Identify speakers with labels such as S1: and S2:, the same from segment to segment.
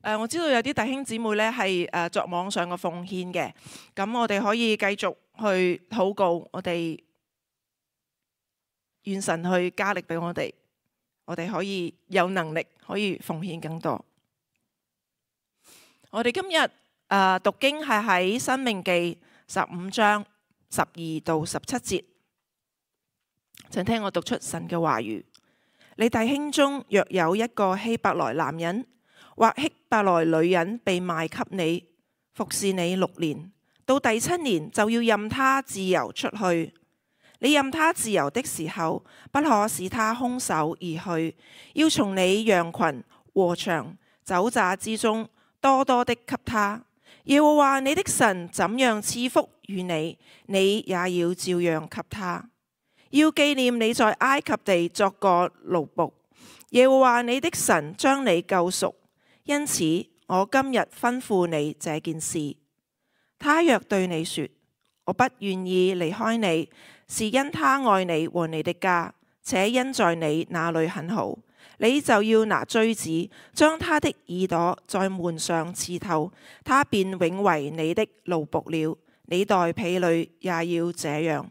S1: 我知道有啲弟兄姊妹咧係作網上嘅奉獻嘅，咁我哋可以繼續去禱告，我哋願神去加力俾我哋可以有能力可以奉獻更多。我哋今日讀經係喺申命記15章12到17節，請聽我讀出神嘅話語。你弟兄中若有一個希伯來男人或希伯來女人被賣給你，服侍你6年，到第7年就要任他自由出去。你任他自由的時候，不可使他空手而去，要從你羊群、禾場、酒榨之中多多的給他。耶和華你的神怎樣賜福與你，你也要照樣給他。要紀念你在埃及地作過奴僕，耶和華你的神將你救贖，因此我今日吩咐你這件事。他若對你說，我不願意離開你，是因他愛你和你的家，且因在你那裏很好，你就要拿錐子將他的耳朵在門上刺透，他便永為你的奴僕了。你待婢女也要這樣。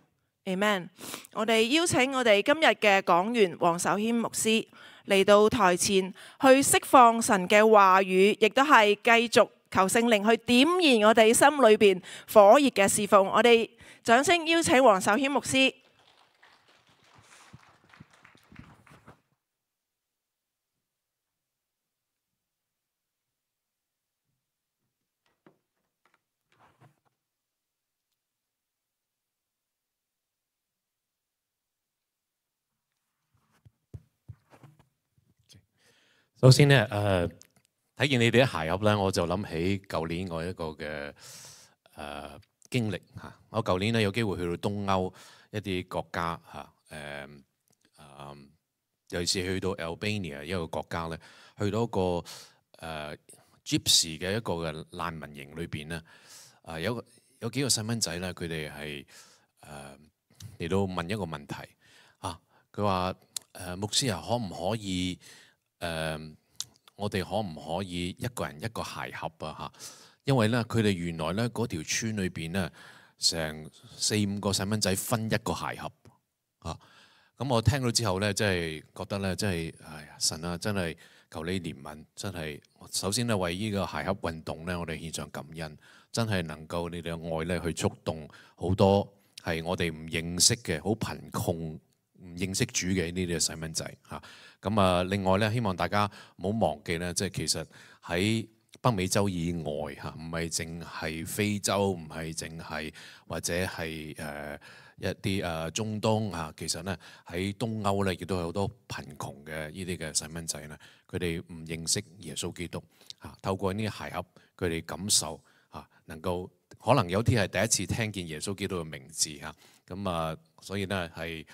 S1: Amen。我哋邀請我哋今日嘅講員黃守謙牧師嚟到台前去釋放神嘅話語，亦都係繼續求聖靈去點燃我哋心裏邊火熱嘅侍奉。我哋掌聲邀請黃守謙牧師。
S2: 首先咧，睇見你哋啲鞋盒咧，我就諗起舊年我一個嘅經歷嚇。我舊年咧有機會去到東歐一啲國家嚇，尤其是去到 Albania 一個國家咧，去到一個Gypsy 嘅一個嘅難民營裏邊咧，有幾個細蚊仔咧，佢哋係嚟到問一個問題啊，佢話牧師啊，可唔可以？我哋可唔可以一個人一個鞋盒啊？嚇，因為咧，佢哋原來咧嗰條村裏邊咧，成4-5個細蚊仔分一個鞋盒啊。咁我聽到之後咧，真係覺得咧，真係神啊，真係求你憐憫，真係首先咧為呢個鞋盒運動咧，我哋獻上感恩，真係能夠你哋嘅愛咧去觸動好多係我哋唔認識嘅好貧窮唔認識主嘅呢啲細蚊仔嚇。咁啊，另外咧，希望大家唔好忘記咧，即係其實喺北美洲以外嚇，唔係淨係非洲，唔係淨係或者係一啲中東嚇，其實咧喺東歐咧亦都有好多貧窮嘅呢啲嘅細蚊仔咧，佢哋唔認識耶穌基督嚇，透過呢啲鞋盒，佢哋感受嚇，能夠可能有啲係第一次聽見耶穌基督嘅名字嚇，咁啊，所以咧係。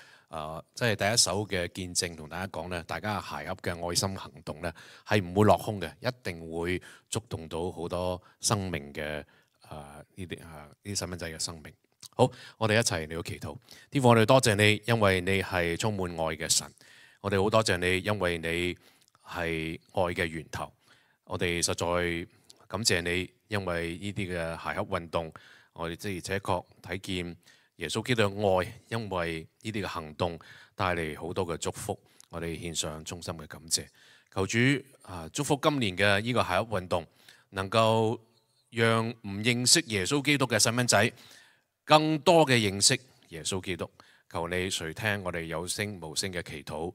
S2: 即係第一手嘅見證，同大家講咧，大家鞋盒嘅愛心行動咧，係唔會落空嘅，一定會觸動到好多生命嘅呢啲細蚊仔嘅生命。好，我哋一齊嚟到祈禱。天父，我哋多謝你，因為你係充滿愛嘅神。我哋好多謝你，因為你係愛嘅源頭。我哋實在感謝你，因為呢啲嘅鞋盒運動，我哋的而且確睇見耶穌基督嘅愛，因為呢啲嘅行動帶嚟好多嘅祝福，我哋獻上衷心嘅感謝。求主祝福今年嘅呢個鞋盒運動，能夠讓唔認識耶穌基督嘅細蚊仔更多嘅認識耶穌基督。求你垂聽我哋有聲無聲嘅祈禱，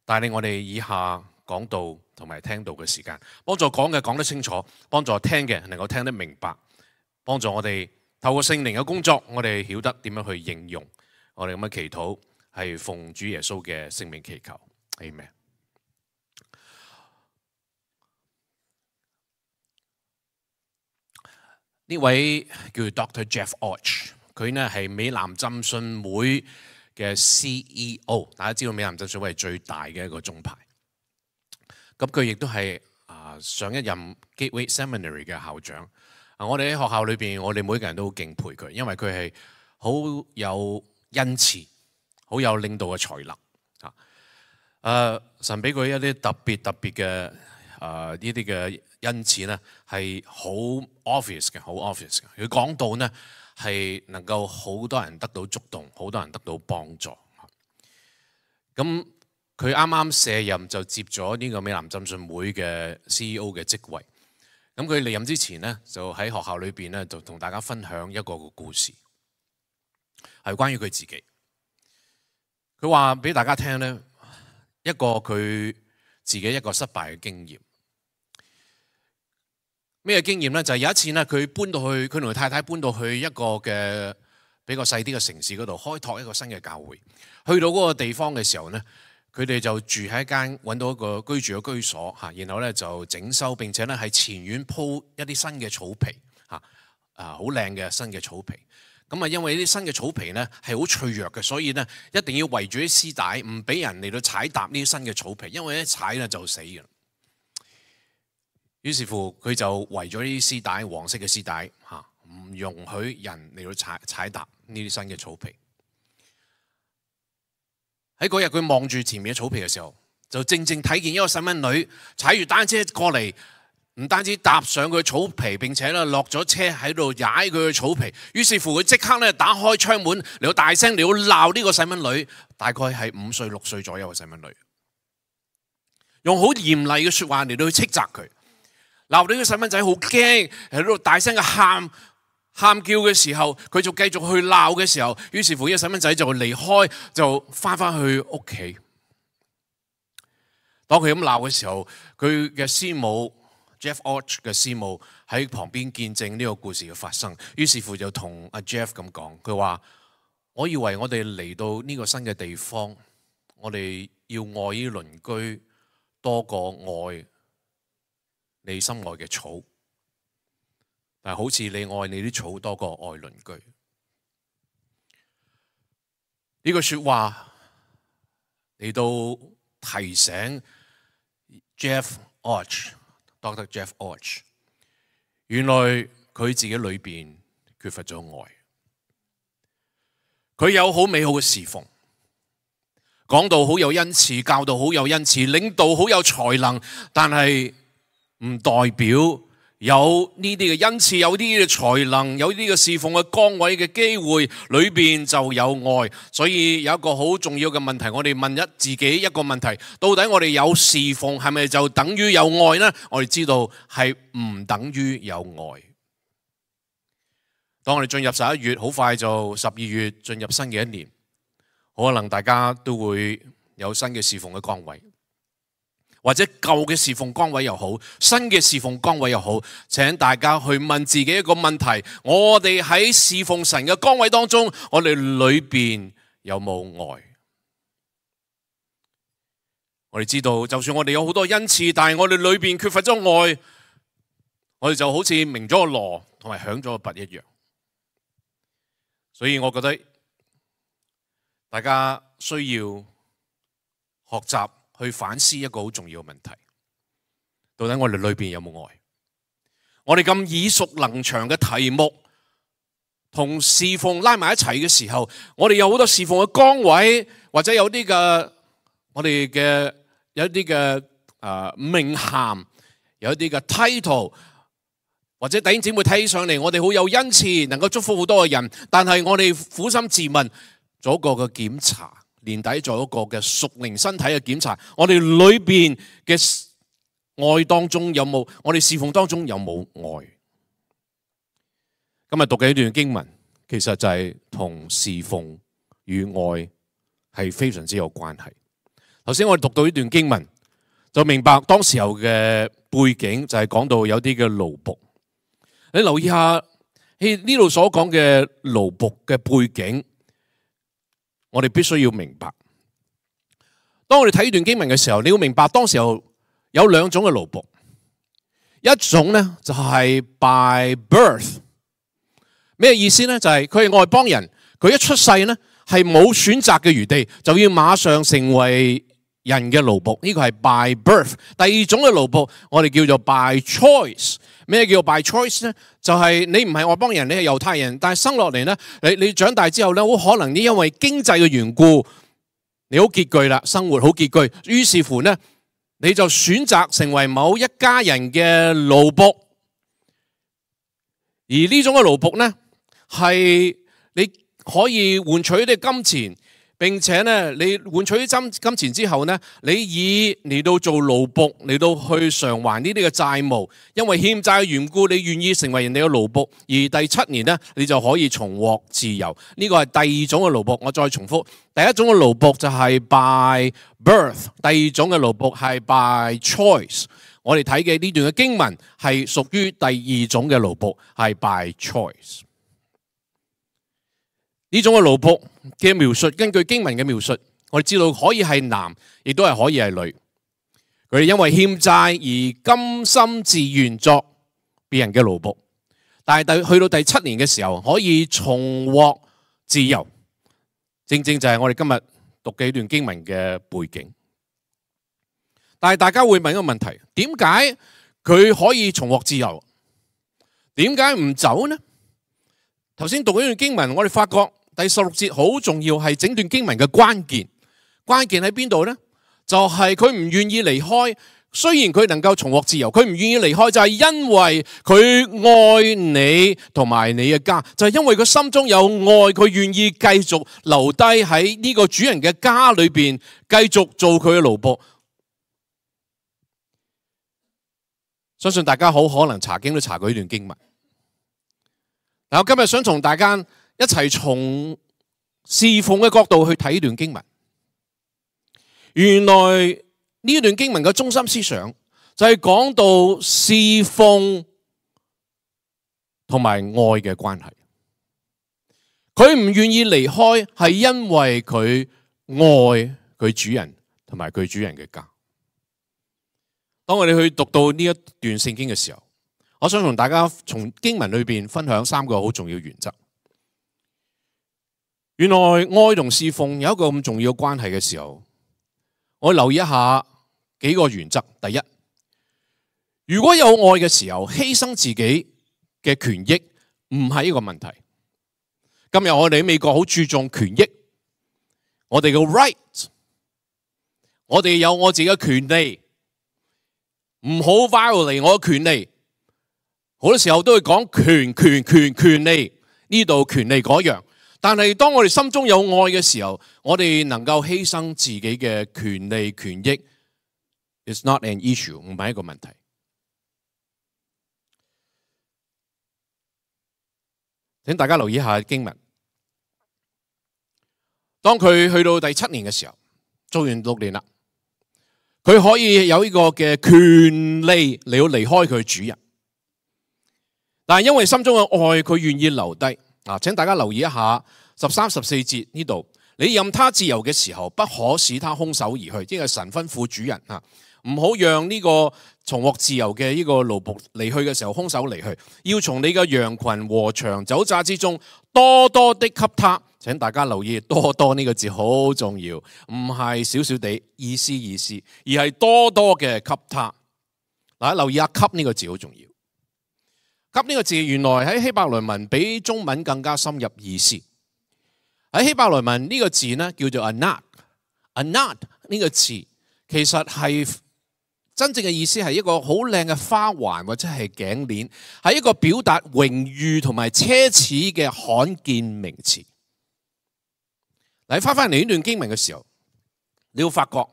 S2: 帶領我哋以下講道同埋聽道嘅時間，幫助講嘅講得清楚，幫助聽嘅能夠聽得明白，幫助我哋透過聖靈嘅工作，我哋曉得點樣去應用我哋咁嘅祈禱，係奉主耶穌嘅聖名祈求，Amen。呢位叫 Dr. Jeff Orch， 佢呢係美南浸信會嘅 CEO， 大家知道美南浸信會係最大嘅一個宗派。咁佢亦都係上一任 Gateway Seminary 嘅校長。我哋喺學校裏邊，我哋每個人都好敬佩佢，因為佢係好有恩賜，好有領導嘅才能。神俾佢一啲特別嘅呢啲嘅恩賜呢係好 obvious 嘅，好 obvious 嘅。佢講到呢係能夠好多人得到觸動，好多人得到幫助。咁佢啱啱卸任就接咗呢個美南浸信會嘅 CEO 嘅職位。咁佢離任之前呢，就喺學校裏邊呢，就同大家分享一個故事，係關於佢自己。佢話俾大家聽呢，一個佢自己一個失敗嘅經驗。咩經驗呢？就係有一次呢，佢同佢太太搬到去一個嘅比較細啲嘅城市嗰度，開拓一個新嘅教會。去到嗰個地方嘅時候呢，佢哋就住喺一間揾到一個居住嘅居所嚇，然後咧就整修，並且咧喺前院鋪一啲新嘅草皮嚇，好靚嘅新嘅草皮。咁啊，因為呢啲新嘅草皮咧係好脆弱嘅，所以咧一定要圍住啲絲帶，唔俾人嚟到踩踏呢啲新嘅草皮，因為一踩咧就死嘅。於是乎佢就圍咗呢啲絲帶，黃色嘅絲帶嚇，唔容許人嚟到踩踏呢啲新嘅草皮。喺嗰日佢望住前面嘅草皮嘅時候，就正正睇見一個細蚊女踩住單車過嚟，唔單止踏上佢草皮，並且咧落咗車喺度踩佢嘅草皮。於是乎佢即刻咧打開窗門嚟到大聲嚟到鬧呢個細蚊女，大概係5歲6歲左右嘅細蚊女，用好嚴厲嘅說話嚟到去斥責佢，鬧到呢個細蚊仔好驚，喺度大聲嘅喊叫嘅時候，佢就繼續去鬧嘅時候，於是乎呢個細蚊仔就離開，就翻去屋企。當佢咁鬧嘅時候，佢嘅師母 Jeff Orch 嘅師母喺旁邊見證呢個故事嘅發生，於是乎就同阿 Jeff 咁講，佢話：我以為我哋嚟到呢個新嘅地方，我哋要愛呢鄰居多過愛你心愛嘅草。但係好似你愛你啲草多過愛鄰居，呢句說話嚟到提醒 Dr. Jeff Orch， 原來佢自己裏邊缺乏咗愛。佢有好美好嘅侍奉，講道好有恩賜，教導好有恩賜，領導好有才能，但係唔代表有呢啲嘅恩賜，有啲嘅才能，有啲嘅侍奉嘅崗位嘅機會，裏邊就有愛。所以有一個好重要嘅問題，我哋問自己一個問題：到底我哋有侍奉係咪就等於有愛呢？我哋知道係唔等於有愛。當我哋進入11月，好快就12月進入新嘅一年，可能大家都會有新嘅侍奉嘅崗位。或者舊嘅侍奉崗位又好，新嘅侍奉崗位又好，請大家去問自己一個問題：我哋喺侍奉神嘅崗位當中，我哋裏邊有冇愛？我哋知道，就算我哋有好多恩賜，但係我哋裏邊缺乏咗愛，我哋就好似鳴咗個鑼同埋響咗個鈸一樣。所以我覺得大家需要學習去反思一個好重要嘅問題，到底我哋裏邊有冇愛？我哋咁耳熟能詳嘅題目同侍奉拉埋一齊嘅時候，我哋有好多侍奉嘅崗位，或者有啲嘅我哋嘅有一啲嘅名銜，有一啲嘅 title， 或者弟兄姊妹睇起上嚟，我哋好有恩賜，能夠祝福好多嘅人，但係我哋苦心自問，做一個嘅檢查。年底做一個嘅屬靈身體嘅檢查，我哋裏邊嘅愛當中有冇？我哋侍奉當中有冇愛？今日讀嘅一段經文，其實就係同侍奉與愛係非常之有關係。頭先我哋讀到呢段經文，就明白當時候嘅背景就係講到有啲嘅奴僕。你留意下呢度所講嘅奴僕嘅背景。我哋必須要明白，當我哋睇呢段經文嘅時候，你要明白當時候有兩種嘅奴僕，一種呢就係 by birth， 咩意思呢？就係佢係外邦人，佢一出世呢係冇選擇嘅餘地，就要馬上成為人嘅奴僕，呢個係 by birth。第二種嘅奴僕，我哋叫做 by choice。咩叫 by choice 呢？就係你唔係外邦人，你係猶太人，但係生落嚟呢，你長大之後呢，好可能你因為經濟嘅緣故，你好拮據啦，生活好拮據，於是乎呢，你就選擇成為某一家人嘅奴僕，而呢種嘅奴僕呢，係你可以換取啲金錢，並且呢，你換取啲金錢之後呢，你以嚟到做奴僕嚟到去償還呢啲嘅債務，因為欠債嘅緣故，你願意成為人哋嘅奴僕，而第7年呢，你就可以重獲自由。呢個係第二種嘅奴僕。我再重複，第一種嘅奴僕就係 by birth， 第二種嘅奴僕係 by choice。我哋睇嘅呢段嘅經文係屬於第二種嘅奴僕，係 by choice。呢種嘅奴僕嘅描述，根據經文嘅描述，我哋知道可以係男，亦都係可以係女。佢哋因為欠債而甘心自願作別人嘅奴僕，但係去到第7年嘅時候，可以重獲自由。正正就係我哋今日讀嘅呢段經文嘅背景。但係大家會問一個問題：點解佢可以重獲自由？點解唔走呢？頭先讀呢段經文，我哋發覺第16節好重要，係整段經文嘅關鍵。關鍵喺邊度呢？就係佢唔願意離開。雖然佢能夠重獲自由，佢唔願意離開，就係因為佢愛你同埋你嘅家，就係因為佢心中有愛，佢願意繼續留低喺呢個主人嘅家裏邊，繼續做佢嘅奴僕。相信大家好可能查經都查過呢段經文。嗱，我今日想同大家一齊從侍奉嘅角度去睇呢段經文。原來呢段經文嘅中心思想就係講到侍奉同埋愛嘅關係。佢唔願意離開，係因為佢愛佢主人同埋佢主人嘅家。當我哋去讀到呢一段聖經嘅時候，我想同大家從經文裏邊分享3個好重要原則。原來愛同侍奉有一個咁重要嘅關係嘅時候，我留意一下幾個原則。第一，如果有愛嘅時候，犧牲自己嘅權益唔係一個問題。今日我哋喺美國好注重權益，我哋嘅 right， 我哋有我自己嘅權利。唔好 violate 我嘅權利，好多時候都會講權利，呢度權利嗰樣。但係當我哋心中有愛嘅時候，我哋能夠犧牲自己嘅權利權益 ，it's not an issue， 唔係一個問題。請大家留意一下經文。當佢去到第7年嘅時候，做完6年啦。佢可以有呢個嘅權利嚟到離開佢主人，但係因為心中嘅愛，佢願意留低。請大家留意一下13、14節呢度，你任他自由嘅時候，不可使他空手而去，即係神吩咐主人唔好讓呢個重獲自由嘅呢個奴僕離去嘅時候空手離去，要從你嘅羊群和長酒榨之中多多的給他。請大家留意多多呢個字好重要，唔係少少地意思，而係多多嘅給他。嗱，留意下給呢個字好重要。給呢個字原來喺希伯來文比中文更加深入意思。喺希伯來文呢個字呢叫做 anat 呢個字其實係真正嘅意思係一個好靚嘅花環或者係頸鏈，係一個表達榮譽同埋奢侈嘅罕見名詞。你翻嚟呢段經文嘅時候，你會發覺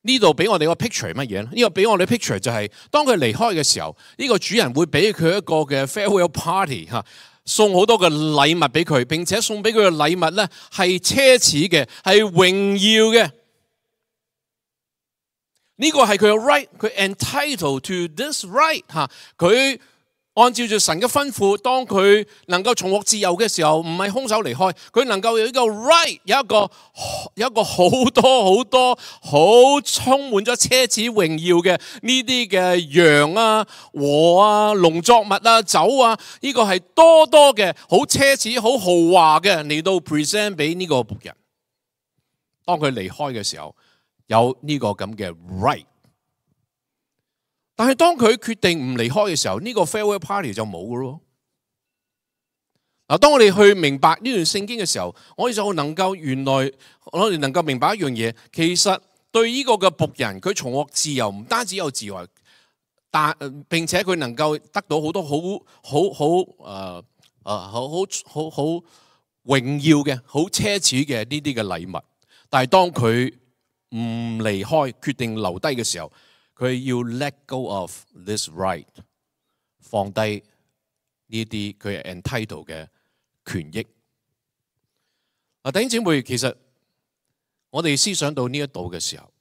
S2: 呢度俾我哋個 picture 係乜嘢咧？呢個俾我哋 picture 就係當佢離開嘅時候，呢個主人會俾佢一個嘅 farewell party 送好多嘅禮物俾佢，並且送俾佢嘅禮物咧係奢侈嘅，係榮耀嘅。呢個係佢嘅 right， 佢 entitled to this right 佢按照住神嘅吩咐，當佢能夠重獲自由嘅時候，唔係空手離開，佢能夠有一個 right， 有一個好多好充滿咗奢侈榮耀嘅呢啲嘅羊啊、禾啊、農作物啊、酒啊，呢個係多嘅好奢侈、好豪華嘅嚟到 present 俾呢個僕人。當佢離開嘅時候，有呢個咁嘅 right。但係當佢決定唔離開嘅時候，呢個 farewell party 就冇㗎咯。嗱，當我哋去明白呢段聖經嘅時候，我哋就能夠原來我哋能夠明白一樣嘢，其實對呢個嘅僕人，佢重獲自由，唔單止有自由，但並且佢能夠得到好多好榮耀嘅、好奢侈嘅呢啲嘅禮物。但係當佢唔離開，決定留低嘅時候，佢要 let go of this right， 放低呢啲佢係 entitled 嘅權益。弟兄姊妹，其實我哋思想到呢一度嘅時候，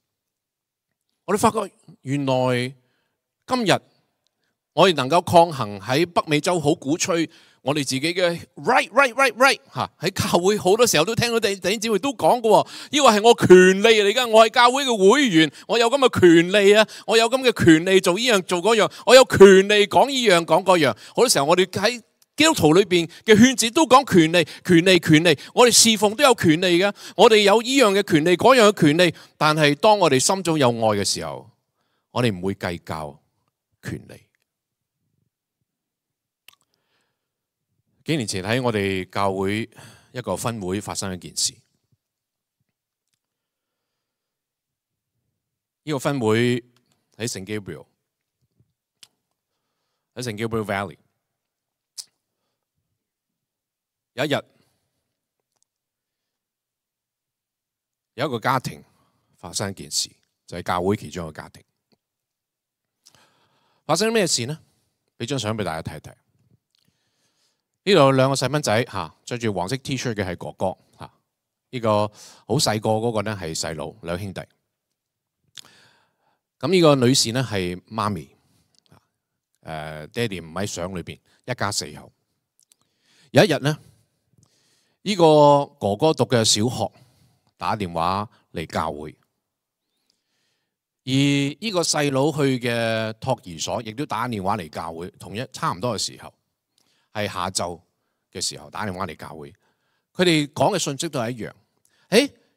S2: 我哋發覺原來今日我哋能夠抗衡喺北美洲好鼓吹我哋自己嘅 right 嚇，喺教會好多時候都聽到弟兄姊妹都講過，呢個係我權利嚟㗎，我係教會嘅會員，我有咁嘅權利啊，我有咁嘅權利做呢樣做嗰樣，我有權利講呢樣講嗰樣。好多時候我哋喺基督徒裏邊嘅圈子都講權利，我哋侍奉都有權利嘅，我哋有呢樣嘅權利，嗰樣嘅權利。但係當我哋心中有愛嘅時候，我哋唔會計較權利。幾年前喺我哋教會一個分會發生一件事，呢個分會喺聖 Gabriel， 喺聖 Gabriel Valley。有一日，有一個家庭發生一件事，就係教會其中一個家庭發生咩事呢？俾張相俾大家睇睇。呢度有兩個細蚊仔嚇，着住黃色 T-shirt 嘅係哥哥嚇，呢個好細個嗰個咧係細佬，兩兄弟。咁呢個女士咧係媽咪，爹哋唔喺相裏邊，一家四口。有一日咧，呢個哥哥讀嘅小學打電話嚟教會，而呢個細佬去嘅托兒所亦都打電話嚟教會，同一差唔多嘅時候。係下晝嘅時候打電話嚟教會，佢哋講嘅信息都係一樣。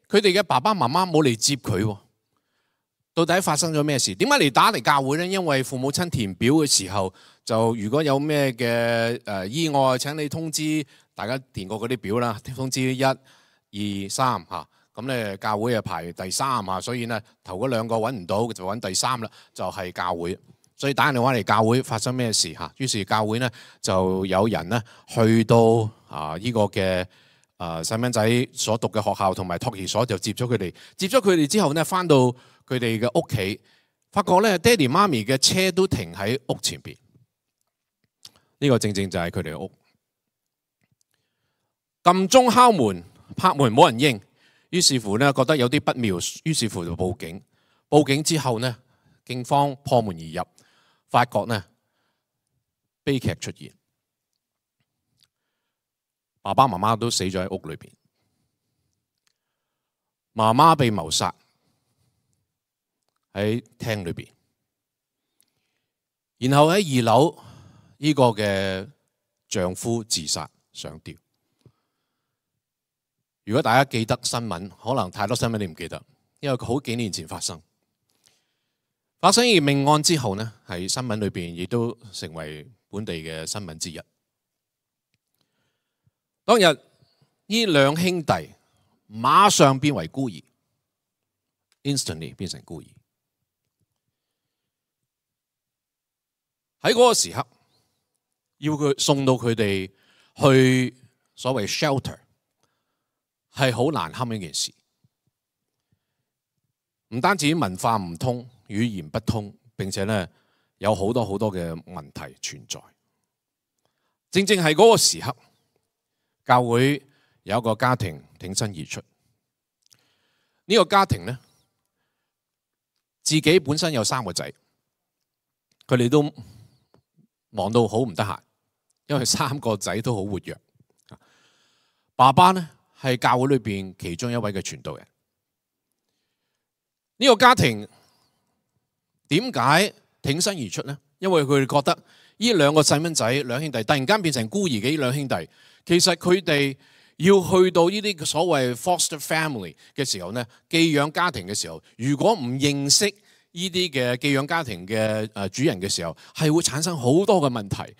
S2: 佢哋嘅爸爸媽媽冇嚟接佢，到底發生咗咩事？點解嚟打嚟教會呢？因為父母親填表嘅時候，就如果有咩嘅意外，請你通知大家填過嗰啲表啦，通知1、2、3嚇。咁咧教會啊排第3啊，所以呢頭嗰兩個揾唔到，就揾第3啦，就係教會。所以打電話嚟教會發生咩事嚇？於是教會呢就有人呢去到呢個嘅細蚊仔所讀嘅學校同埋托兒所，就接咗佢哋。接咗佢哋之後呢，翻到佢哋嘅屋企，發覺咧爹哋媽咪嘅車都停喺屋前邊。呢個正正就係佢哋嘅屋。撳鐘敲門拍門冇人應，於是乎呢覺得有啲不妙，於是乎就報警。報警之後呢，警方破門而入。發覺呢悲劇出現，爸爸媽媽都死咗喺屋裏邊，媽媽被謀殺喺廳裏邊，然後喺2樓呢個嘅丈夫自殺上吊。如果大家記得新聞，可能太多新聞你唔記得，因為好幾年前發生而命案之後呢，喺新聞裏邊亦都成為本地嘅新聞之一。當日呢兩兄弟馬上變為孤兒 ，instantly 變成孤兒。喺嗰個時刻，要佢送到佢哋去所謂 shelter， 係好難堪一件事。唔單止文化唔通，語言不通，並且呢有好多嘅問題存在。正正係嗰個時刻，教會有一個家庭挺身而出。呢個家庭呢，自己本身有3個仔，佢哋都忙到好唔得閒，因為3個仔都好活躍。爸爸呢係教會裏邊其中一位嘅傳道人。呢個家庭點解挺身而出呢？因為佢哋覺得呢兩個細蚊仔兩兄弟突然間變成孤兒嘅呢兩兄弟，其實佢哋要去到呢啲所謂 foster family 嘅時候呢，寄養家庭嘅時候，如果唔認識呢啲嘅寄養家庭嘅主人嘅時候，係會產生好多嘅問題。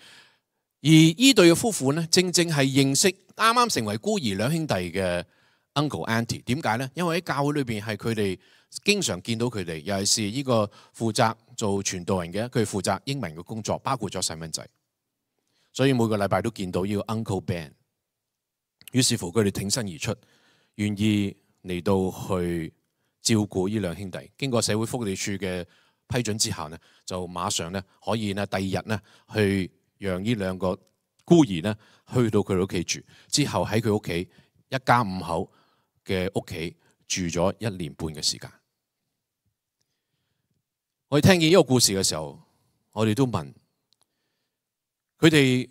S2: 而呢對嘅夫婦呢，正正係認識啱啱成為孤兒兩兄弟嘅 uncle auntie。點解呢？因為喺教會裏邊係佢哋經常見到佢哋，尤其是呢個負責做傳道人嘅，佢負責英文嘅工作，包括咗細蚊仔，所以每個禮拜都見到呢個 Uncle Ben。於是乎佢哋挺身而出，願意嚟到去照顧呢兩兄弟。經過社會福利署嘅批准之後呢，就馬上呢可以呢第二日呢去讓呢兩個孤兒呢去到佢哋屋企住，之後喺佢屋企一家5口嘅屋企住咗1年半嘅時間。我哋聽見呢個故事嘅時候，我哋都問佢哋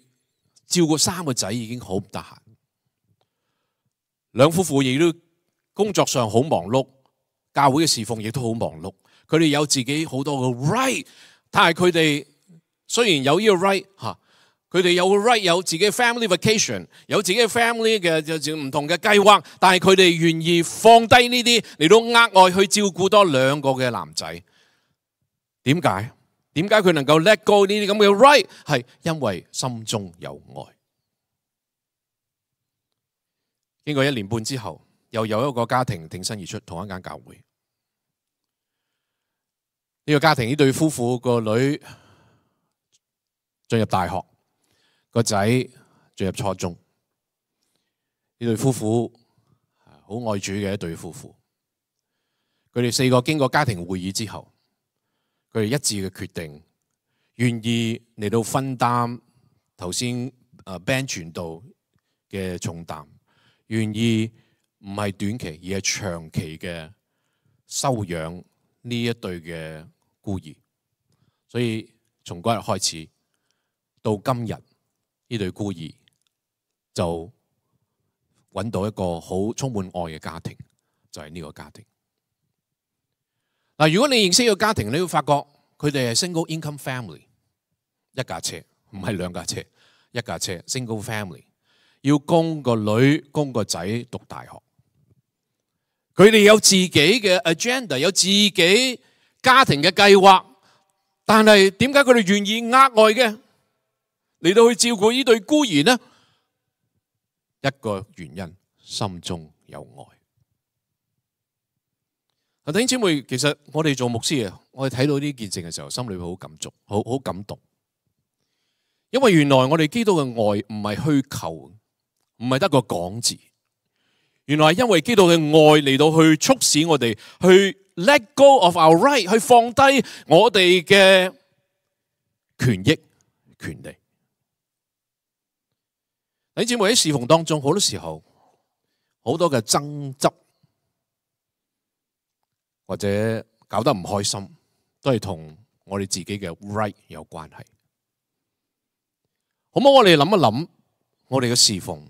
S2: 照顧3個仔已經好唔得閒，兩夫婦亦都工作上好忙碌，教會嘅侍奉亦都好忙碌。佢哋有自己好多嘅 right， 但係佢哋雖然有呢個 right 嚇，佢哋有個 right 有自己嘅 family vacation， 有自己嘅 family 嘅唔同嘅計劃，但係佢哋願意放低呢啲嚟到額外去照顧多2個嘅男仔。點解？點解佢能夠 let go 呢啲咁嘅 right？ 係因為心中有愛。經過1年半之後，又有一個家庭挺身而出，同一間教會。呢個家庭呢對夫婦個女進入大學，個仔進入初中。呢對夫婦好愛主嘅一對夫婦。佢哋4個經過家庭會議之後，佢哋一致嘅決定，願意嚟到分擔頭先Ben 傳道嘅重擔，願意唔係短期而係長期嘅收養呢一對嘅孤兒。所以從嗰日開始到今日，呢對孤兒就揾到一個好充滿愛嘅家庭，就係呢個家庭。嗱，如果你認識呢個家庭，你會發覺佢哋係 single income family， 一架車，唔係2架車，一架車 single family， 要供個女供個仔讀大學。佢哋有自己嘅 agenda， 有自己家庭嘅計劃，但係點解佢哋願意額外嘅嚟到去照顧呢對孤兒呢？一個原因，心中有愛。弟兄姊妹，其實我哋做牧師嘅，我哋睇到呢件事嘅時候，心裏會好感觸，好感動。因為原來我哋基督嘅愛唔係虛構，唔係得個講字。原來係因為基督嘅愛嚟到去促使我哋去 let go of our right， 去放低我哋嘅權益、權利。弟兄姊妹，喺侍奉當中，好多時候好多嘅爭執，或者搞得唔開心，都係同我哋自己嘅 right 有關係。好唔好？我哋諗一諗，我哋嘅侍奉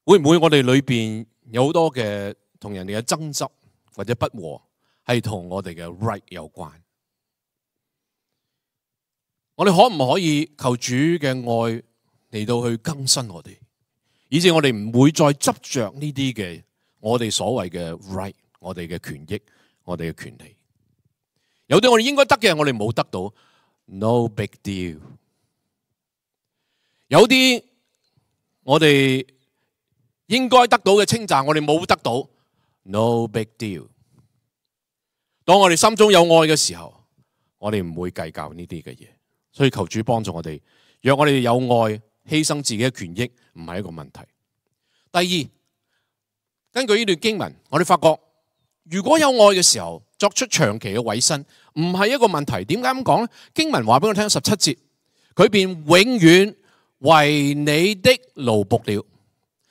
S2: 會唔會我哋裏邊有好多嘅同人哋嘅爭執或者不和，係同我哋嘅 right 有關？我哋可唔可以求主嘅愛嚟到去更新我哋，以致我哋唔會再執着呢啲嘅我哋所謂嘅 right， 我哋嘅權益，我哋嘅權利。有啲我哋應該得嘅，我哋冇得到 ，no big deal。有啲我哋應該得到嘅稱讚，我哋冇得到 ，no big deal。當我哋心中有愛嘅時候，我哋唔會計較呢啲嘅嘢。所以求主幫助我哋，若我哋有愛，犧牲自己嘅權益唔係一個問題。第二，根據呢段經文，我哋發覺如果有愛嘅時候，作出長期嘅委身唔係一個問題。點解咁講呢？經文話俾我聽17節，佢便永遠為你的勞僕了。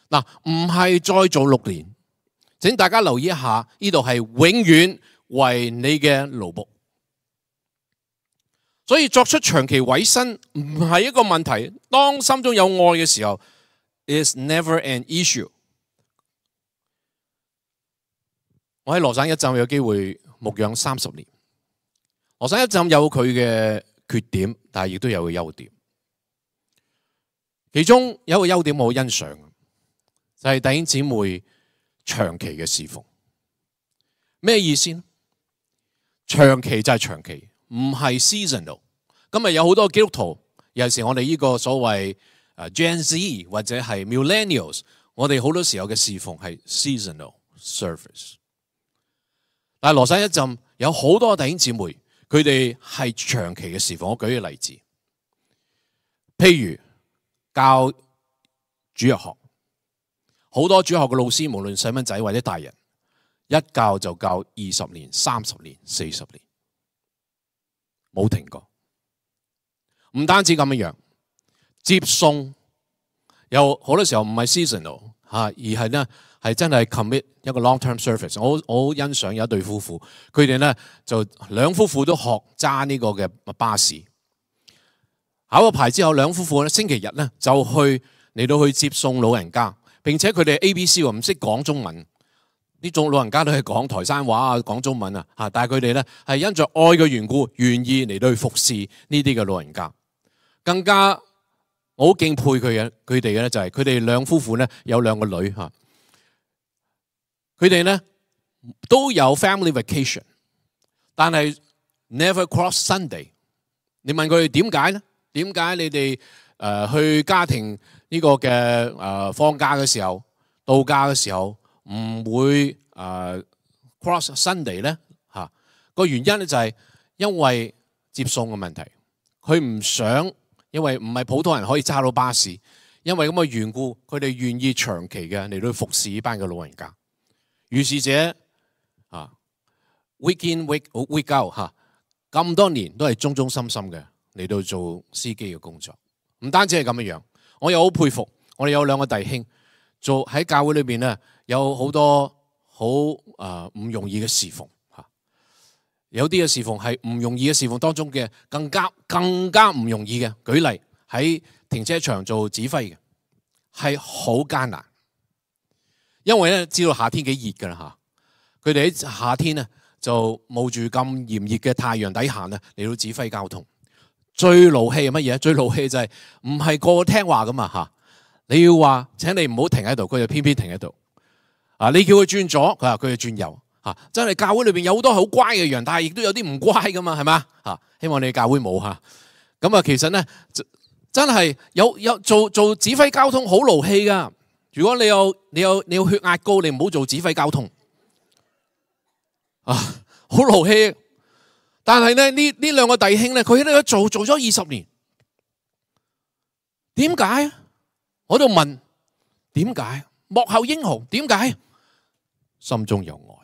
S2: 嗱，唔係再做6年，請大家留意一下，呢度係永遠為你嘅勞僕。所以作出長期委身唔係一個問題。當心中有愛嘅時候 ，is never an issue。我喺羅省一浸有機會牧養30年。羅省一浸有佢嘅缺點，但係亦都有佢優點。其中有一個優點我好欣賞，就係弟兄姊妹長期嘅侍奉。咩意思呢？長期就係長期，唔係 seasonal。今日有好多基督徒，尤其是我哋呢個所謂Gen Z 或者係 Millennials， 我哋好多時候嘅侍奉係 seasonal service。但係羅省一浸有好多弟兄姊妹，佢哋係長期嘅侍奉。我舉個例子，譬如教主日學，好多主日學嘅老師，無論細蚊仔或者大人，一教就教20年、30年、40年，冇停過。唔單止咁樣，接送有好多時候唔係 seasonal 而係呢係真係 commit 一個 long-term service。我好欣賞有一對夫婦，佢哋呢就兩夫婦都學揸呢個嘅巴士，考咗牌之後，兩夫婦咧星期日呢就嚟到去接送老人家，並且佢哋 ABC 唔識講中文，呢種老人家都係講台山話啊，講中文啊，但係佢哋呢係因着愛嘅緣故，願意嚟到去服侍呢啲嘅老人家。更加我好敬佩佢哋嘅咧，就係佢哋兩夫婦呢有兩個女嚇，佢哋呢都有 family vacation， 但係 never cross Sunday。你問佢哋點解呢？點解你哋去家庭呢個嘅放假嘅時候、度假嘅時候唔會cross Sunday 呢？嚇，個原因咧就係因為接送嘅問題，佢唔想。因為唔係普通人可以揸到巴士，因為咁嘅緣故，佢哋願意長期嘅嚟到服侍呢班嘅老人家。於是者week in week out 咁多年都係忠忠心心嘅嚟到做司機嘅工作。唔單止係咁樣，我又好佩服我哋有兩個弟兄做喺教會裏邊咧，有好多好唔容易嘅侍奉。有啲嘅侍奉係唔容易嘅侍奉當中嘅更加唔容易嘅。舉例喺停車場做指揮嘅係好艱難，因為咧知道夏天幾熱㗎啦嚇，佢哋喺夏天咧就冒住咁炎熱嘅太陽底下咧嚟到指揮交通。最勞氣係乜嘢？最勞氣就係唔係個個聽話㗎嘛嚇，你要話請你唔好停喺度，佢就偏偏停喺度。你叫佢轉左，佢就轉右。真係教會裏邊有好多好乖嘅人，但係亦都有啲唔乖噶嘛，係嘛？希望你教會冇嚇。咁其實咧真係有做指揮交通好勞氣噶。如果你有血壓高，你唔好做指揮交通好勞氣。但係咧呢兩個弟兄咧，佢喺度做咗20年，點解？我喺度問點解？幕後英雄點解？心中有愛。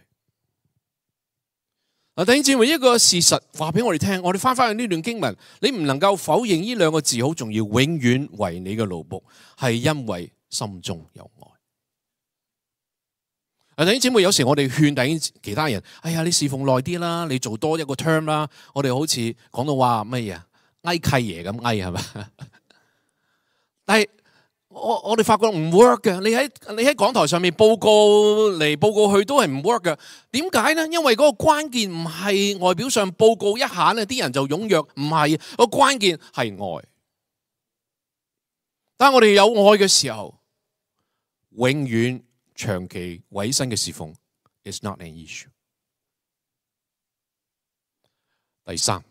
S2: 弟兄姊妹，一個事實話俾我哋聽，我哋翻去呢段經文，你唔能夠否認呢兩個字好重要，永遠為你嘅奴僕，係因為心中有愛。弟兄姊妹，有時我哋勸弟兄其他人，哎呀，你侍奉耐啲啦，你做多一個 term 啦，我哋好似講到話乜嘢哀契爺咁哀係咪？但係我哋發覺唔 work 嘅，你喺講台上面報告嚟報告去都係唔 work 嘅。點解呢？因為嗰個關鍵唔係外表上報告一下呢啲人就踴躍，唔係，個關鍵係愛。當我哋有愛嘅時候，永遠長期委身嘅侍奉 is not an issue。第三，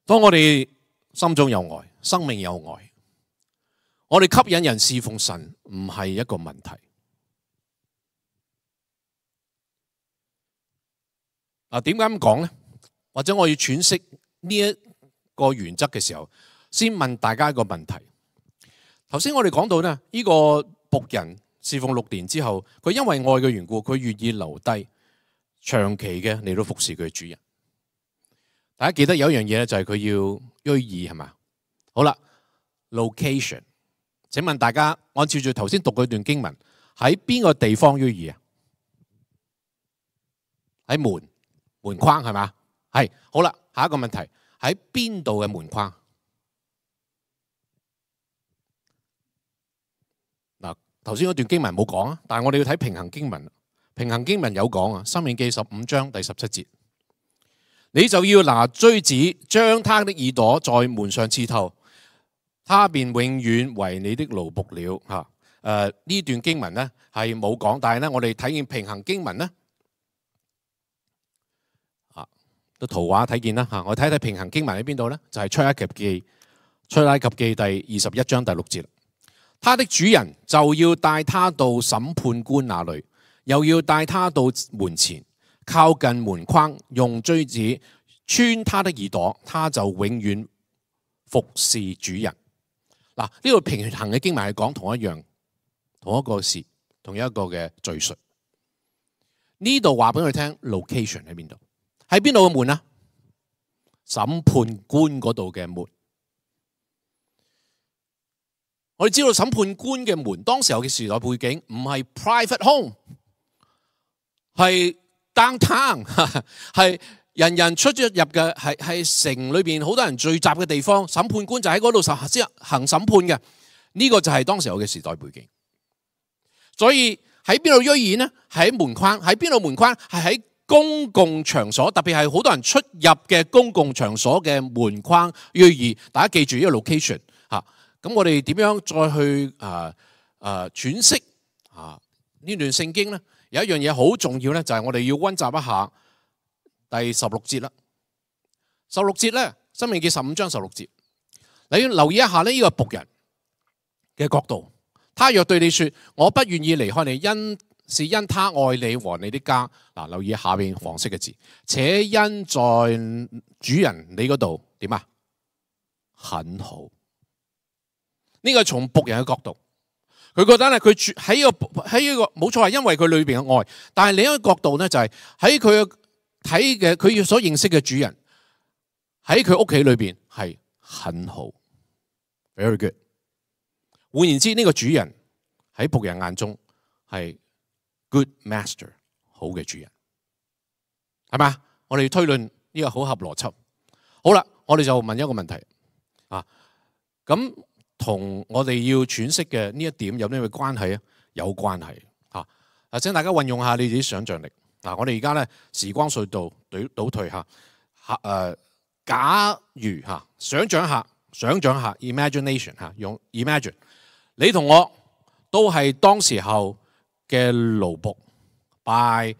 S2: 當我哋心中有愛，生命有愛，我哋吸引人侍奉神唔係一個問題。點解咁講呢？或者我要詮釋呢一個原則嘅時候，先問大家一個問題。頭先我哋講到呢，呢個僕人侍奉6年之後，佢因為愛嘅緣故，佢願意留低長期嘅嚟到服侍佢嘅主人。大家記得有一樣嘢咧，就係佢要約珥係嘛？好啦 ，location， 請問大家按照住頭先讀嗰段經文，喺邊個地方約珥啊？喺門框係嘛？係。好啦，下一個問題，喺邊度嘅門框？嗱，頭先嗰段經文冇講啊，但係我哋要睇平衡經文。平衡經文有講啊，《申命記》15章第17節，你就要拿錐子將他的耳朵在門上刺透，他便永遠為你的奴僕了。嚇，呢段經文呢係冇講，但係呢我哋睇見平衡經文呢，個圖畫睇見啦嚇。我睇睇平衡經文喺邊度呢？就係出埃及記第21章第6節。他的主人就要帶他到審判官那裏，又要帶他到門前，靠近門框，用錐子穿他的耳朵，他就永遠服侍主人。嗱，呢度平衡嘅經文係講同一個事，同一個嘅敘述。呢度話俾佢聽 location 喺邊度？喺邊度嘅門啊？審判官嗰度嘅門。我哋知道審判官嘅門，當時候嘅時代背景唔係 private home， 係 downtown， 係人人出入嘅，係城裏邊好多人聚集嘅地方。審判官就喺嗰度行審判嘅。呢個就係當時候嘅時代背景。所以喺邊度錐耳呢？喺門框。喺邊度門框？係喺公共場所，特別係好多人出入嘅公共場所嘅門框錐耳。大家記住呢個 location 嚇。咁我哋點樣再去詮釋呢段聖經呢？有一樣嘢好重要呢，就係我哋要溫習一下第16節啦。16節呢，申命記15章16節，你要留意一下呢個僕人嘅角度。他若對你說，我不願意離開你，是因他愛你和你的家。嗱，留意下邊黃色嘅字，且因在主人你嗰度點啊？很好。呢個係從僕人嘅角度，佢覺得咧，佢喺呢個冇錯，係因為佢裏邊嘅愛。但係另一個角度咧，就係喺佢睇嘅佢所認識嘅主人喺佢屋企裏邊係很好 ，very good。換言之，呢個主人喺僕人眼中係 good master， 好嘅主人，係咪？我哋推論呢個好合邏輯。好啦，我哋就問一個問題啊，咁同我哋要詮釋嘅呢一點有咩關係啊？有關係嚇。請大家運用下你自己想像力。嗱，我哋而家咧時光隧道倒退下。假如嚇，想像下 imagination 嚇，用 imagine。你同我都係當時候嘅奴僕 by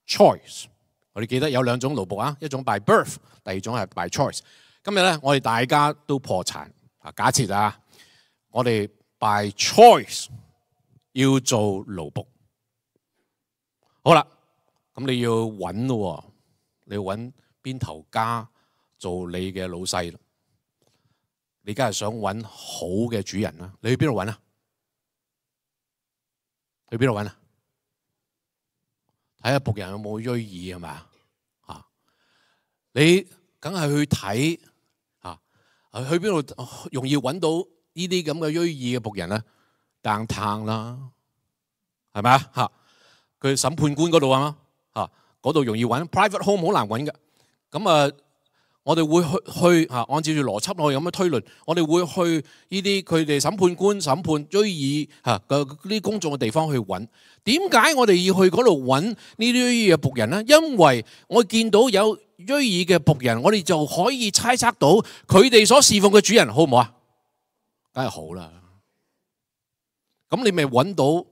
S2: choice。我哋記得有兩種奴僕啊，一種 by birth， 第二種係 by choice。今日咧，我哋大家都破產啊！假設啊，我哋 by choice 要做奴僕。好啦，咁你要揾咯，你要揾邊頭家做你嘅老細。你梗係想揾好嘅主人啦，你去邊度揾啊？去邊度揾啊？睇下僕人有冇錐耳係咪啊？你梗係去睇去邊度容易揾到呢啲咁嘅錐耳嘅僕人咧？downtown啦，係咪啊？佢審判官嗰度啊嘛，嗰度容易揾 ，private home 好難揾嘅。咁我哋會去按照住邏輯我哋咁樣推論，我哋會去呢啲佢哋審判官審判錐耳嘅呢啲公眾嘅地方去揾。點解我哋要去嗰度揾呢啲錐耳嘅僕人呢？因為我見到有錐耳嘅僕人，我哋就可以猜測到佢哋所侍奉嘅主人好唔好啊？梗係好啦。咁你咪揾到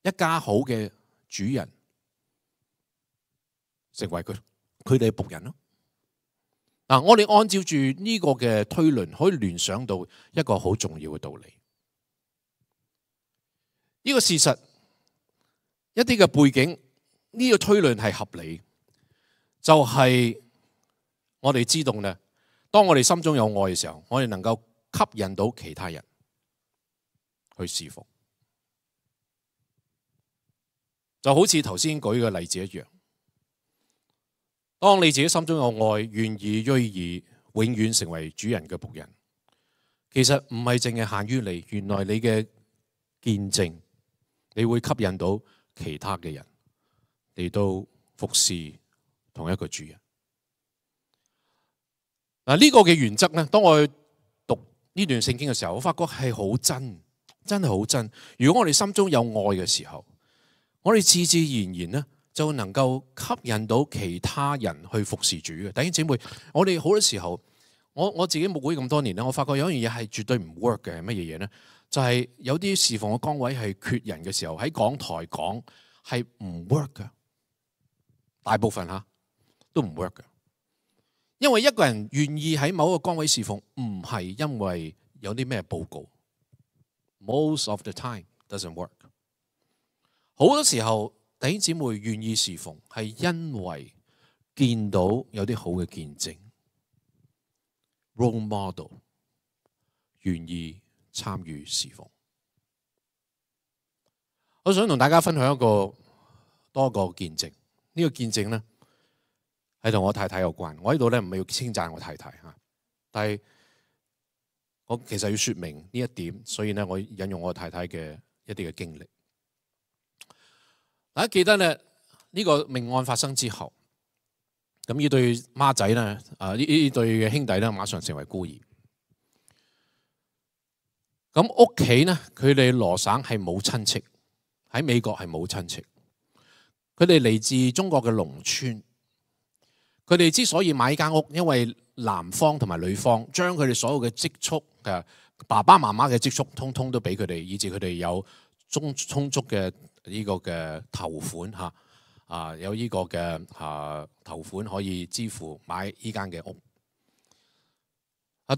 S2: 一家好嘅主人，成為佢哋嘅僕人咯。嗱，我哋按照住呢個嘅推論，可以聯想到一個好重要嘅道理。呢個事實，一啲嘅背景，呢個推論係合理，就係我哋知道咧，當我哋心中有愛嘅時候，我哋能夠吸引到其他人去侍奉，就好似頭先舉嘅例子一樣。當你自己心中有愛，願意錐耳，永遠成為主人嘅僕人，其實唔係淨係限於你，原來你嘅見證，你會吸引到其他嘅人嚟到服侍同一個主人。嗱，呢個嘅原則咧，當我讀呢段聖經嘅時候，我發覺係好真，真係好真。如果我哋心中有愛嘅時候，我哋自自然然咧，就能夠吸引到其他人去服侍主嘅。弟兄姊妹，我哋好多時候，我自己牧會咁多年咧，我發覺有一樣嘢係絕對唔 work 嘅，係乜嘢嘢咧？就係有啲侍奉嘅崗位係缺人嘅時候，喺講台講係唔 work 嘅。大部分都唔 work 嘅，因為一個人願意喺某一個崗位侍奉，唔係因為有啲咩報告。Most of the time doesn't work。好多時候弟兄姊妹願意侍奉，係因為見到有啲好嘅見證 ，role model 願意參與侍奉。我想同大家分享多個見證。呢個見證咧係同我太太有關。我喺度咧唔係要稱讚我太太嚇，但係我其實要説明呢一點，所以咧我引用我太太嘅一啲嘅經歷。大家記得咧呢個命案發生之後，咁呢對孖仔咧呢對嘅兄弟咧馬上成為孤兒。咁屋企咧佢哋羅省係冇親戚。喺美國係冇親戚，佢哋嚟自中國嘅農村。佢哋之所以買間屋，因為男方同埋女方將佢哋所有嘅積蓄嘅爸爸媽媽嘅積蓄，通通都俾佢哋，以至佢哋有充足嘅呢個嘅頭款嚇，有呢個嘅頭款可以支付買呢間嘅屋。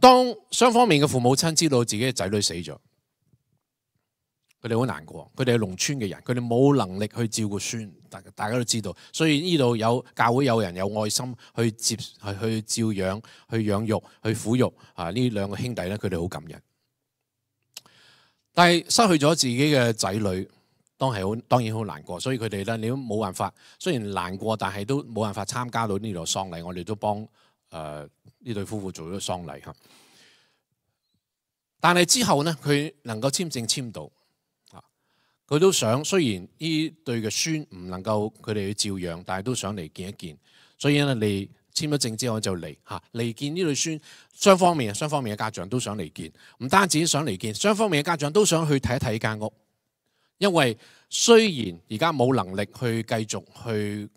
S2: 當雙方面嘅父母親知道自己嘅仔女死咗，佢哋好難過，佢哋係農村嘅人，佢哋冇能力去照顧孫，大家都知道，所以呢度有教會有人有愛心去照養、去養育、去撫育呢兩個兄弟咧，佢哋好感人。但係失去咗自己嘅仔女，當然好難過，所以佢哋咧你都冇辦法，雖然難過，但係都冇辦法參加到呢度喪禮。我哋都幫呢對夫婦做咗喪禮嚇。但係之後呢，佢能夠簽證簽到。佢都想，雖然呢對嘅孫唔能夠佢哋去照養，但係都想嚟見一見。所以咧，你簽咗證之後就嚟見呢對孫，雙方面嘅家長都想嚟見，唔單止想嚟見，雙方面嘅家長都想去睇一睇間屋。因為雖然而家冇能力去繼續去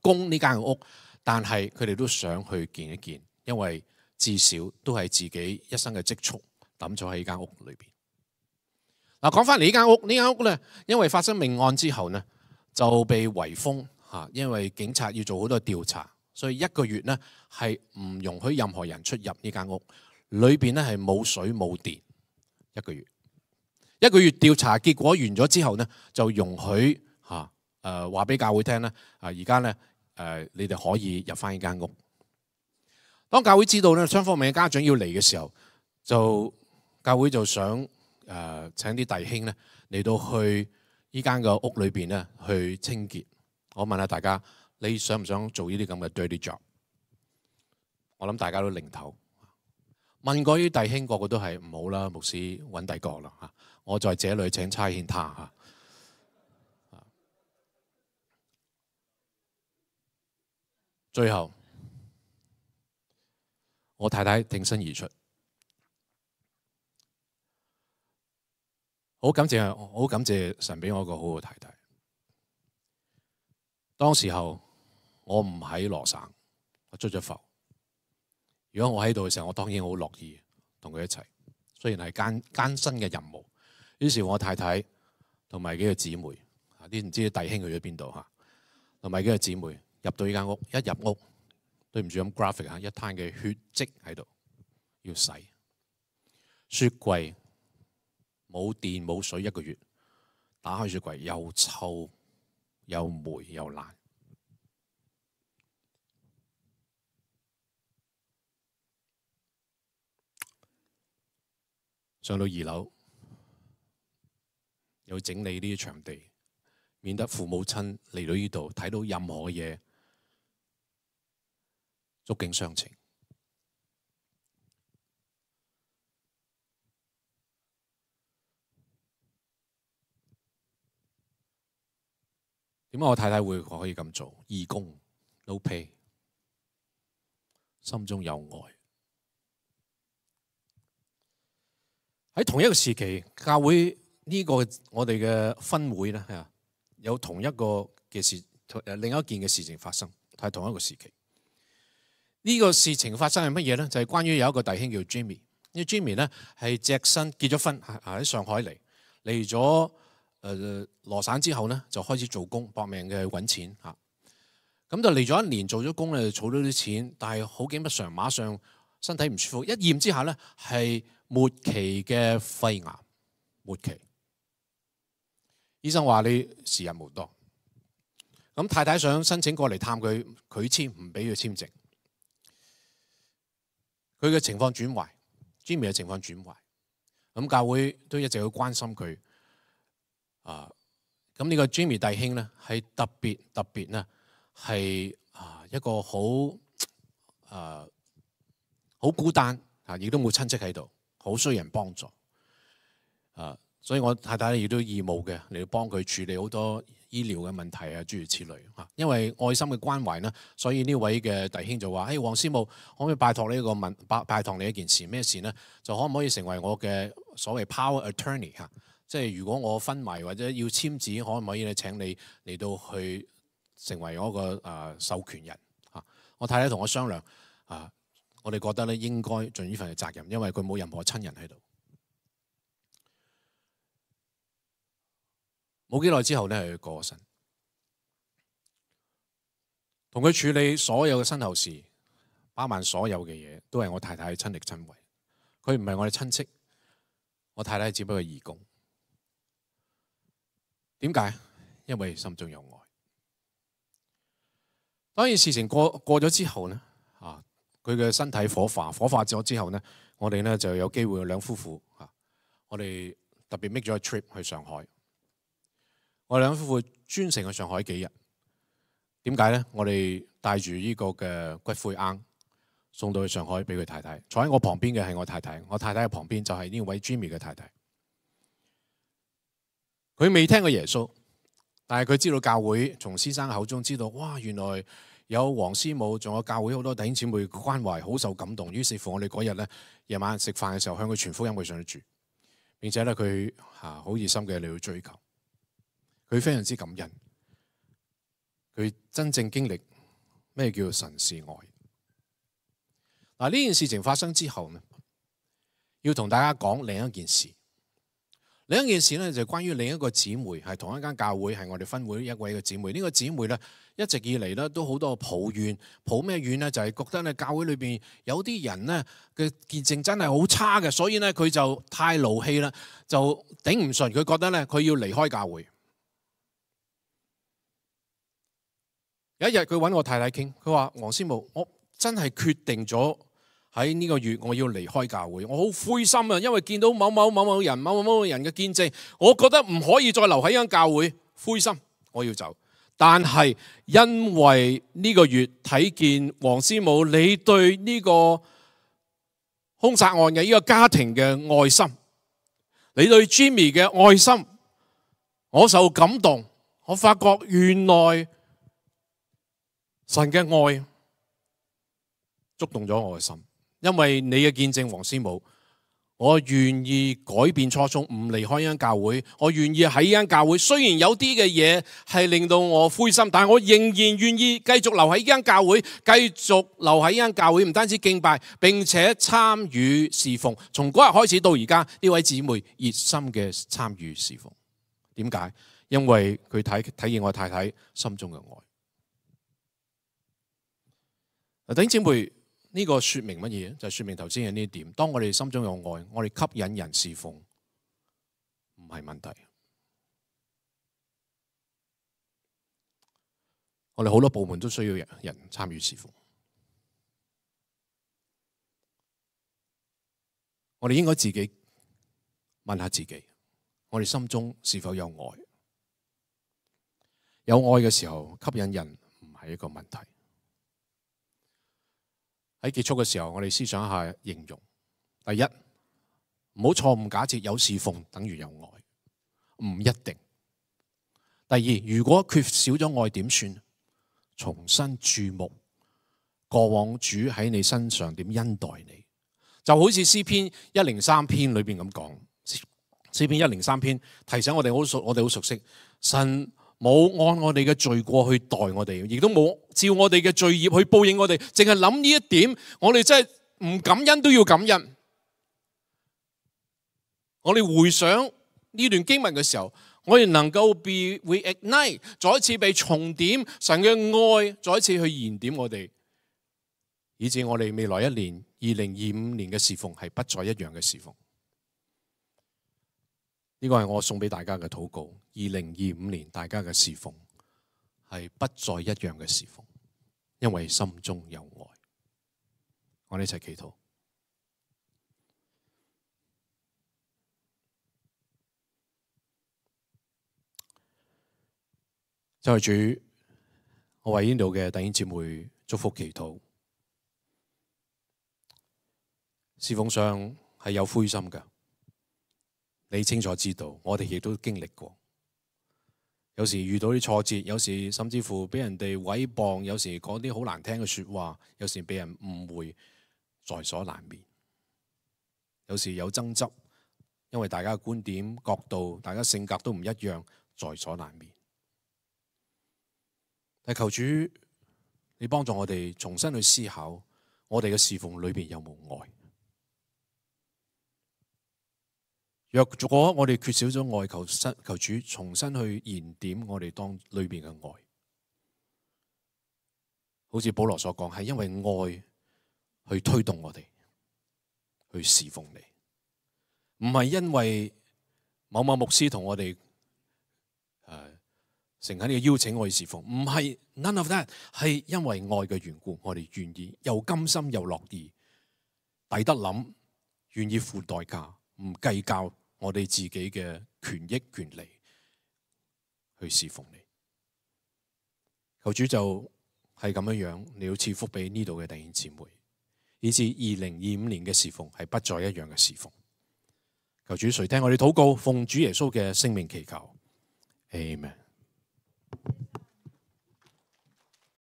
S2: 供呢間屋，但係佢哋都想去見一見，因為至少都係自己一生嘅積蓄抌咗喺呢間屋裏邊。嗱，講翻嚟呢間屋咧，因為發生命案之後呢，就被圍封嚇，因為警察要做好多調查，所以1個月呢係唔容許任何人出入呢間屋。裏邊呢係冇水冇電，1個月。1個月調查結果完咗之後呢，就容許話俾教會聽咧，而家咧你哋可以入翻呢間屋。當教會知道咧雙方面嘅家長要嚟嘅時候，教會就想請啲弟兄咧嚟到去呢間嘅屋裏邊咧去清潔。我問下大家，你想唔想做呢啲咁嘅 dirty job？ 我諗大家都擰頭。問過啲弟兄，個個都係唔好啦，牧師揾第個啦嚇。我在這裏請差遣他嚇。最後，我太太挺身而出。好感謝神俾我一個好好太太。當時候我唔喺羅省，我出咗埠。如果我喺度嘅時候，我當然好樂意同佢一齊。雖然係艱辛嘅任務，於是我太太同埋幾個姊妹，啲唔知弟兄去咗邊度嚇，同埋幾個姊妹入到呢間屋，一入屋，對唔住咁 graphic 嚇，一灘嘅血跡喺度，要洗。雪櫃冇電冇水1個月，打開雪櫃又臭又霉又爛。上到2樓，又整理呢啲場地，免得父母親嚟到呢度睇到任何嘢，觸景傷情。點解我太太會可以咁做？義工 no pay， 心中有愛。喺同一個時期，教會呢個我哋嘅分會咧，有同一個嘅事，另一件嘅事情發生，係同一個時期。呢個事情發生係乜嘢咧？就係關於有一個弟兄叫 Jimmy。呢 Jimmy 咧係隻身結咗婚，喺上海嚟咗羅省之後咧，就開始做工，搏命嘅揾錢嚇。咁就嚟咗1年，做咗工咧，就儲到啲錢，但係好景不常，馬上身體唔舒服，一驗之下咧係末期嘅肺癌，末期。醫生話你時日無多。咁太太想申請過嚟探佢，佢簽唔俾佢簽證。佢嘅情況轉壞 ，Jimmy 嘅情況轉壞。咁教會都一直好關心佢。咁呢個 Jimmy 弟兄咧係特別咧係一個好孤單亦都冇親戚喺度，好需要人幫助。所以我太太亦都義務嘅嚟到幫佢處理好多醫療嘅問題諸如此類。因為愛心嘅關懷呢，所以呢位嘅弟兄就話：黃師母，可唔可以拜託呢拜託你一件事？咩事呢？就可唔可以成為我嘅所謂 power attorney 即係如果我昏迷或者要簽字，可唔可以咧請你嚟到去成為我個授權人？我太太同我商量，我哋覺得咧應該盡呢份嘅責任，因為佢冇任何親人喺度。冇幾耐之後咧，佢過身，同佢處理所有嘅身後事，包辦所有嘅嘢，都係我太太親力親為。佢唔係我哋親戚，我太太只不過係義工。點解？因為心中有愛。當然事情過咗之後呢，佢嘅身體火化咗之後呢，我哋呢就有機會兩夫婦我哋特別 make 咗個 trip 去上海。我哋兩夫婦專程去上海幾日。點解呢？我哋帶住呢個嘅骨灰龕送到去上海俾佢太太。坐喺我旁邊嘅係我太太，我太太嘅旁邊就係呢位 Jimmy 嘅太太。佢未聽過耶穌，但係佢知道教會，從先生口中知道，哇！原來有黃師母，仲有教會好多弟兄姊妹嘅關懷，好受感動。於是乎，我哋嗰日咧夜晚食飯嘅時候，向佢傳福音，佢上去住。並且咧佢好熱心嘅嚟去追求，佢非常之感恩，佢真正經歷咩叫神是愛。嗱，呢件事情發生之後呢，要同大家講另一件事。另一件事呢，就係關於另一個姊妹，係同一間教會，係我哋分會一位嘅姊妹。呢個姊妹呢，一直以嚟呢都好多抱怨，抱咩怨呢？就係覺得呢教會裏邊有啲人呢嘅見證真係好差嘅，所以呢佢就太勞氣啦，就頂唔順，佢覺得呢佢要離開教會。有一日佢揾我太太傾，佢話：黃師母，我真係決定咗。喺呢個月我要離開教會，我好灰心啊！因為見到某某人嘅見證，我覺得唔可以再留喺呢間教會，灰心，我要走。但係因為呢個月睇見黃師母你對呢個兇殺案嘅呢個家庭嘅愛心，你對 Jimmy 嘅愛心，我受感動。我發覺原來神嘅愛觸動咗我嘅心。因為你嘅見證，黃師母，我願意改變初衷，唔離開呢間教會。我願意喺呢間教會，雖然有啲嘅嘢係令到我灰心，但係我仍然願意繼續留喺呢間教會，繼續留喺呢間教會，唔單止敬拜，並且參與侍奉。從嗰日開始到而家，呢位姊妹熱心嘅參與侍奉。點解？因為佢睇見我太太心中嘅愛。弟兄姊妹。呢個說明乜嘢？就係說明頭先嘅呢一點。當我哋心中有愛，我哋吸引人侍奉，唔係問題。我哋好多部門都需要人參與侍奉。我哋應該自己問下自己，我哋心中是否有愛？有愛嘅時候，吸引人唔係一個問題。喺結束嘅時候，我哋思想一下形容。第一，唔好錯誤假設有侍奉等於有愛，唔一定。第二，如果缺少咗愛點算？重新注目過往主喺你身上點恩待你，就好似詩篇103篇裏邊咁講。詩篇103篇提醒我哋好熟悉，神冇按我哋嘅罪過去待我哋，亦都冇照我哋嘅罪孽去報應我哋，淨係諗呢一點，我哋真係唔感恩都要感恩。我哋回想呢段經文嘅時候，我哋能夠被 reignite， 再一次被重點，神嘅愛再一次去燃點我哋，以致我哋未來一年2025年嘅侍奉係不再一樣嘅侍奉。呢個係我送俾大家嘅禱告。2025年大家嘅侍奉係不再一樣嘅侍奉，因為心中有愛。我哋一齊祈禱。就係主，我為呢度嘅弟兄姊妹祝福祈禱。侍奉上係有灰心嘅，你清楚知道，我哋亦都經歷過。有時遇到啲挫折，有時甚至乎俾人哋毀謗，有時講啲好難聽嘅說話，有時俾人誤會，在所難免。有時有爭執，因為大家嘅觀點、角度、大家性格都唔一樣，在所難免。但求主，你幫助我哋重新去思考，我哋嘅侍奉裏邊有冇愛？若果我哋缺少咗愛，求主重新去燃點我哋當裏邊嘅愛。好似保羅所講，係因為愛去推動我哋去侍奉你，唔係因為某某牧師同我哋誠懇嘅邀請我去侍奉，唔係 none of that， 係因為愛嘅緣故，我哋願意又甘心又樂意，抵得諗，願意付代價，唔計較我哋自己嘅權益權利去侍奉你。求主就係咁樣，你要賜福俾呢度嘅弟兄姊妹，以至2025年嘅侍奉係不再一樣嘅侍奉。求主垂聽我哋禱告，奉主耶穌嘅聖名祈求，Amen。